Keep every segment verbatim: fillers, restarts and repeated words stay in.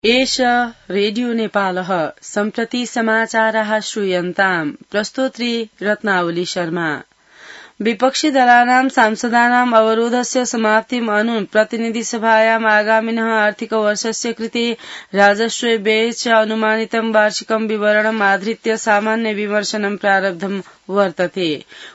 एष रेडियो नेपालः सम्प्रति समाचाराः श्रूयन्ताम् प्रस्तोत्री रत्नावली शर्मा। विपक्षी दलानां सांसदानाम् अवरोधस्य समाप्तिम् अनु प्रतिनिधिसभायाम् आगामिनः आर्थिक वर्षस्य कृते राजस्व व्यय च अनुमानितं वार्षिकं विवरणम् आधृत्य सामान्य विमर्शनं प्रारब्धम् वर्तते।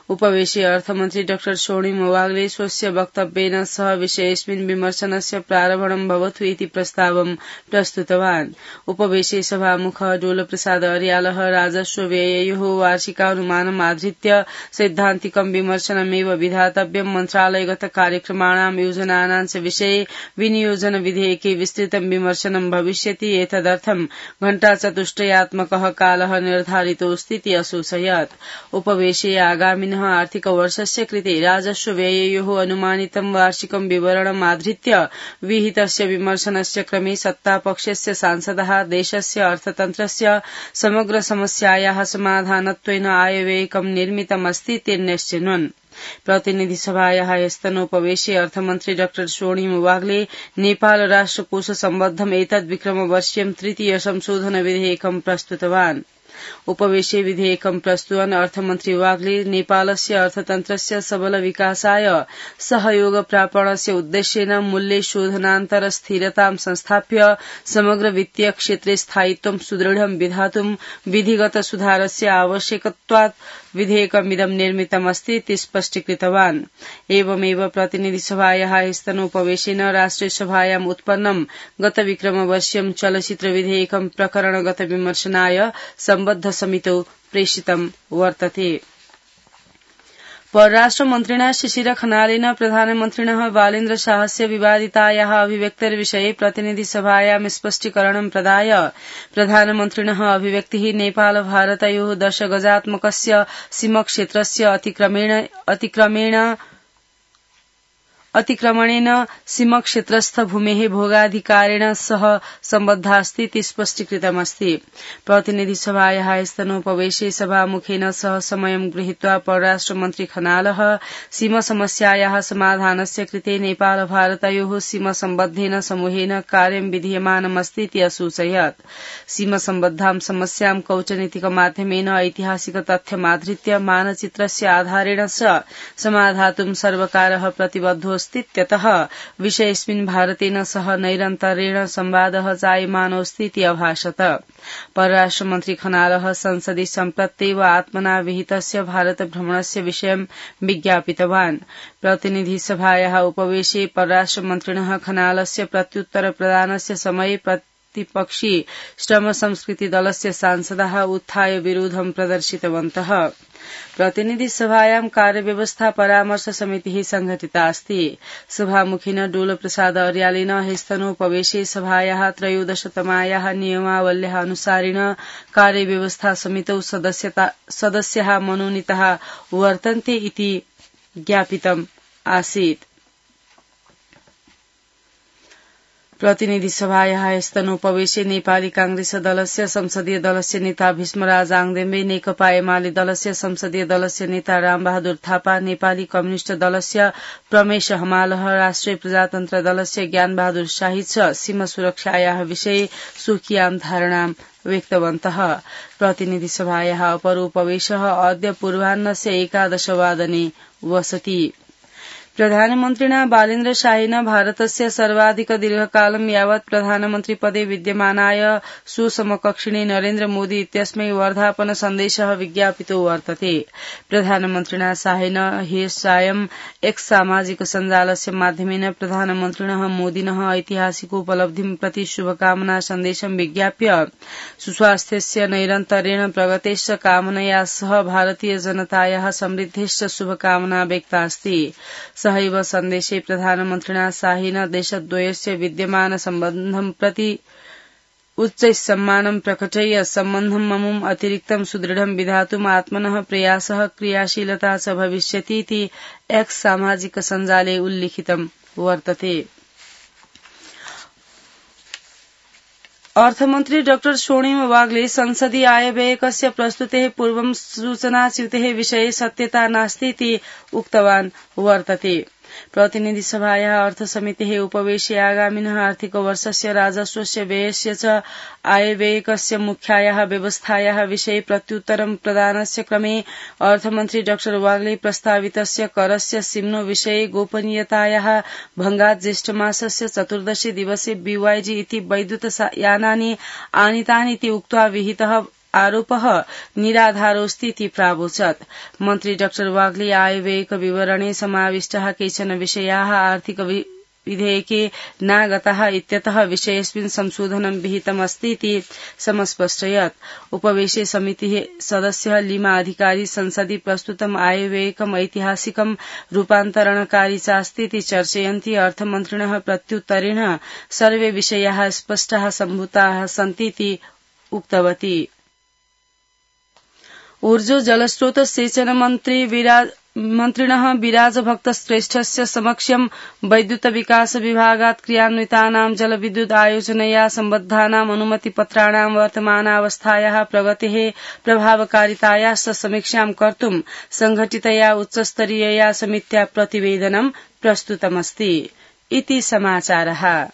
उपवेशि अर्थमन्त्री डाक्टर स्वर्णिम वाग्ले स्वस्य वक्तव्येन सह विषयेऽस्मिन् विमर्शनस्य प्रारम्भं भवतु इति प्रस्तावं प्रस्तुतवान्। उपवेशि सभामुख डोलप्रसाद अर्यालः राजस्व व्यययोः वार्षिकानुमानम् आधृत्य सैद्धान्तिकं विमर्शनमेव विधातव्यं मन्त्रालयगत कार्यक्रमाणां योजनानां च विषये विनियोजन विधेयके विस्तृतं विमर्शनं भविष्यति। एतदर्थं घण्टाचतुष्टयात्मकः कालः निर्धारितोऽस्तीति असूचयत्। उपवेशे आगामिनः आर्थिक वर्षस्य कृते राजस्व व्यययोः अनुमानितं वार्षिकं विवरणम् आधृत्य विहितस्य विमर्शनस्य क्रमे सत्तापक्षस्य सांसदः देशस्य अर्थतन्त्रस्य समग्र समस्यायाः समाधानत्वेन आयव्ययकं निर्मितमस्ति निर्णयश्चिन्वन्। प्रतिनिधिसभायाः ह्यस्तनोपवेशे अर्थमन्त्री डाक्टर स्वर्णिम वाग्ले नेपाल राष्ट्रकोष सम्बद्धम् एतद् विक्रमवर्षीयं तृतीय संशोधन विधेयकं प्रस्तुतवान्। उपवेशे विधेयकं प्रस्तुतन् अर्थमन्त्री वाग्ले नेपालस्य अर्थतन्त्रस्य सबल विकासाय सहयोग प्रापणस्य उद्देश्येन मूल्य शोधनान्तर स्थिरतां संस्थाप्य समग्र वित्तीय क्षेत्रे स्थायित्वं सुदृढं विधातुं विधिगत सुधारस्य आवश्यकत्वात् विधेयकमिदं निर्मितमस्ति इति स्पष्टीकृतवान्। एवमेव प्रतिनिधिसभायाः ह्यस्तनोपवेशेन राष्ट्रियसभायाम् उत्पन्नं गत विक्रमवर्षीयं चलचित्र विधेयकं प्रकरणगत विमर्शनाय सम्बद्ध समितौ प्रेषितं वर्तते। परराष्ट्रमन्त्रिणा शिशिर खनालेन प्रधानमन्त्रिणः बालेन्द्र शाहस्य विवादितायाः अभिव्यक्तिर्विषये प्रतिनिधिसभायां स्पष्टीकरणं प्रदाय प्रधानमन्त्रिणः अभिव्यक्तिः नेपाल भारतयोः दशगजात्मकस्य सीमक्षेत्रस्य अतिक्रमेण अतिक्रमेण अतिक्रमणेन सीमक्षेत्रस्थ भूमेः भोगाधिकारेण सह सम्बद्धास्ति इति स्पष्टीकृतमस्ति। प्रतिनिधिसभायाः ह्यस्तनोपवेशे सभामुखेन सह समयं गृहीत्वा परराष्ट्रमन्त्री खनालः सीमसमस्यायाः समाधानस्य कृते नेपाल भारतयोः सीमसम्बद्धेन समूहेन कार्यं विधीयमानमस्ति इति असूचयत्। सीमसम्बद्धां समस्यां कौटनीतिकमाध्यमेन ऐतिहासिक तथ्यमाधृत्य मानचित्रस्य आधारेण च समाधातुं सर्वकारः प्रतिबद्धो त्यतः विषयेऽस्मिन् भारतेन सह नैरन्तर्येण संवादः जायमानोऽस्ति इति अभाषत। परराष्ट्रमन्त्री खनालः संसदि सम्प्रत्येव आत्मना विहितस्य भारत भ्रमणस्य विषयं विज्ञापितवान्। प्रतिनिधिसभायाः उपवेशे परराष्ट्रमन्त्रिणः खनालस्य प्रत्युत्तर प्रदानस्य समये प्रतिपक्षी श्रम संस्कृति दलस्य सांसदाः उत्थाय विरोधं प्रदर्शितवन्तः। प्रतिनिधिसभायां कार्यव्यवस्था परामर्श समितिः संघटिता अस्ति। सभामुखिन डोलप्रसाद अर्यालेन ह्यस्तनोपवेशे सभायाः त्रयोदशतमायाः नियमावल्याः अनुसारेण कार्यव्यवस्था समितौ सदस्याः मनोनीताः वर्तन्ते इति ज्ञापितम् आसीत्। प्रतिनिधिसभायाः ह्यस्तनोपवेशे नेपाली कांग्रेस दलस्य संसदीय दलस्य नेता भीष्मराज आङदेम्बे, नेकपा एमाले दलस्य संसदीय दलस्य नेता रामबहादुर थापा, नेपाली कम्युनिष्ट दलस्य प्रमेश हमालह, राष्ट्रिय प्रजातन्त्र दलस्य ज्ञानबहादुर शाही च सीमा सुरक्षायाः विषये स्वकीयां धारणां व्यक्तवन्तः। प्रतिनिधिसभायाः अपरोपवेशः अद्य पूर्वाह्नस्य एकादशवादने वसति। प्रधानमन्त्रिणा बालेन्द्र शाहेन भारतस्य सर्वाधिक दीर्घकालं यावत् प्रधानमन्त्रिपदे विद्यमानाय सुसमकक्षिणे नरेन्द्र मोदी इत्यस्मै वर्धापन सन्देशः विज्ञापितो वर्तते। प्रधानमन्त्रिणा शाहेन ह्यः सायं एक्स सामाजिक सञ्जालस्य माध्यमेन प्रधानमन्त्रिणः मोदिनः ऐतिहासिकोपलब्धिं प्रति शुभकामना सन्देशं विज्ञाप्य सुस्वास्थ्यस्य नैरन्तर्येण प्रगतेश्च कामनया सह भारतीय जनतायाः समृद्धेश्च शुभकामना व्यक्ता अस्ति। सहैव सन्देशे प्रधानमन्त्रिणा शाहेन देशद्वयस्य विद्यमान सम्बन्धं प्रति उच्च सम्मानं प्रकटय्य सम्बन्धं ममुम् अतिरिक्तं सुदृढं विधातुम् आत्मनः प्रयासः क्रियाशीलता च भविष्यति इति एक्स सामाजिक सञ्जाले उल्लिखितं वर्तते। अर्थमन्त्री डाक्टर स्वर्णिम वाग्ले संसदीय आयव्ययकस्य प्रस्तुतेः पूर्वं सूचनाच्युतेः विषये सत्यता नास्ति इति उक्तवान् वर्तते। प्रतिनिधि सभायाः अर्थसमितेः उपवेशे आगामिनः आर्थिकवर्षस्य राजस्वस्य व्ययस्य च आयव्ययकस्य मुख्यायाः व्यवस्थायाः विषये प्रत्युत्तरं प्रदानस्य क्रमे अर्थमन्त्री डाक्टर वाग्ले प्रस्तावितस्य करस्य सिम्नो विषये गोपनीयतायाः भङ्गात् ज्येष्ठमासस्य चतुर्दशे दिवसे बीवाईजी इति वैद्युत यानानि आनीतानि इति उक्त्वा विहितः आरोपः निराधारोऽस्ति इति प्रावोचत्। मन्त्री डाक्टर वाग्ले आयव्ययक विवरणे समाविष्टाः केचन विषयाः आर्थिक विधेयके नागताः इत्यतः विषयेऽस्मिन् संशोधनं विहितमस्ति इति समस्पष्टयत्। उपवेशे समितिः सदस्यः लीमा अधिकारी संसदि प्रस्तुतम् आयव्ययकम् ऐतिहासिकं रूपान्तरणकारी चास्ति इति चर्चयन्ती अर्थमन्त्रिणः प्रत्युत्तरेण सर्वे विषयाः स्पष्टाः सम्भूताः सन्ति इति उक्तवती। ऊर्जो जलस्रोत सेचन मन्त्री विराज मन्त्रिणः विराजभक्त श्रेष्ठस्य समक्षं वैद्युत विकास विभागात् क्रियान्वितानां जलविद्युत आयोजनया सम्बद्धानाम् अनुमतिपत्राणां वर्तमानावस्थायाः प्रगतेः प्रभावकारितायाश्च समीक्षां कर्तुं संघटितया उच्चस्तरीयया समित्या प्रतिवेदनं प्रस्तुतमस्ति इति समाचारः।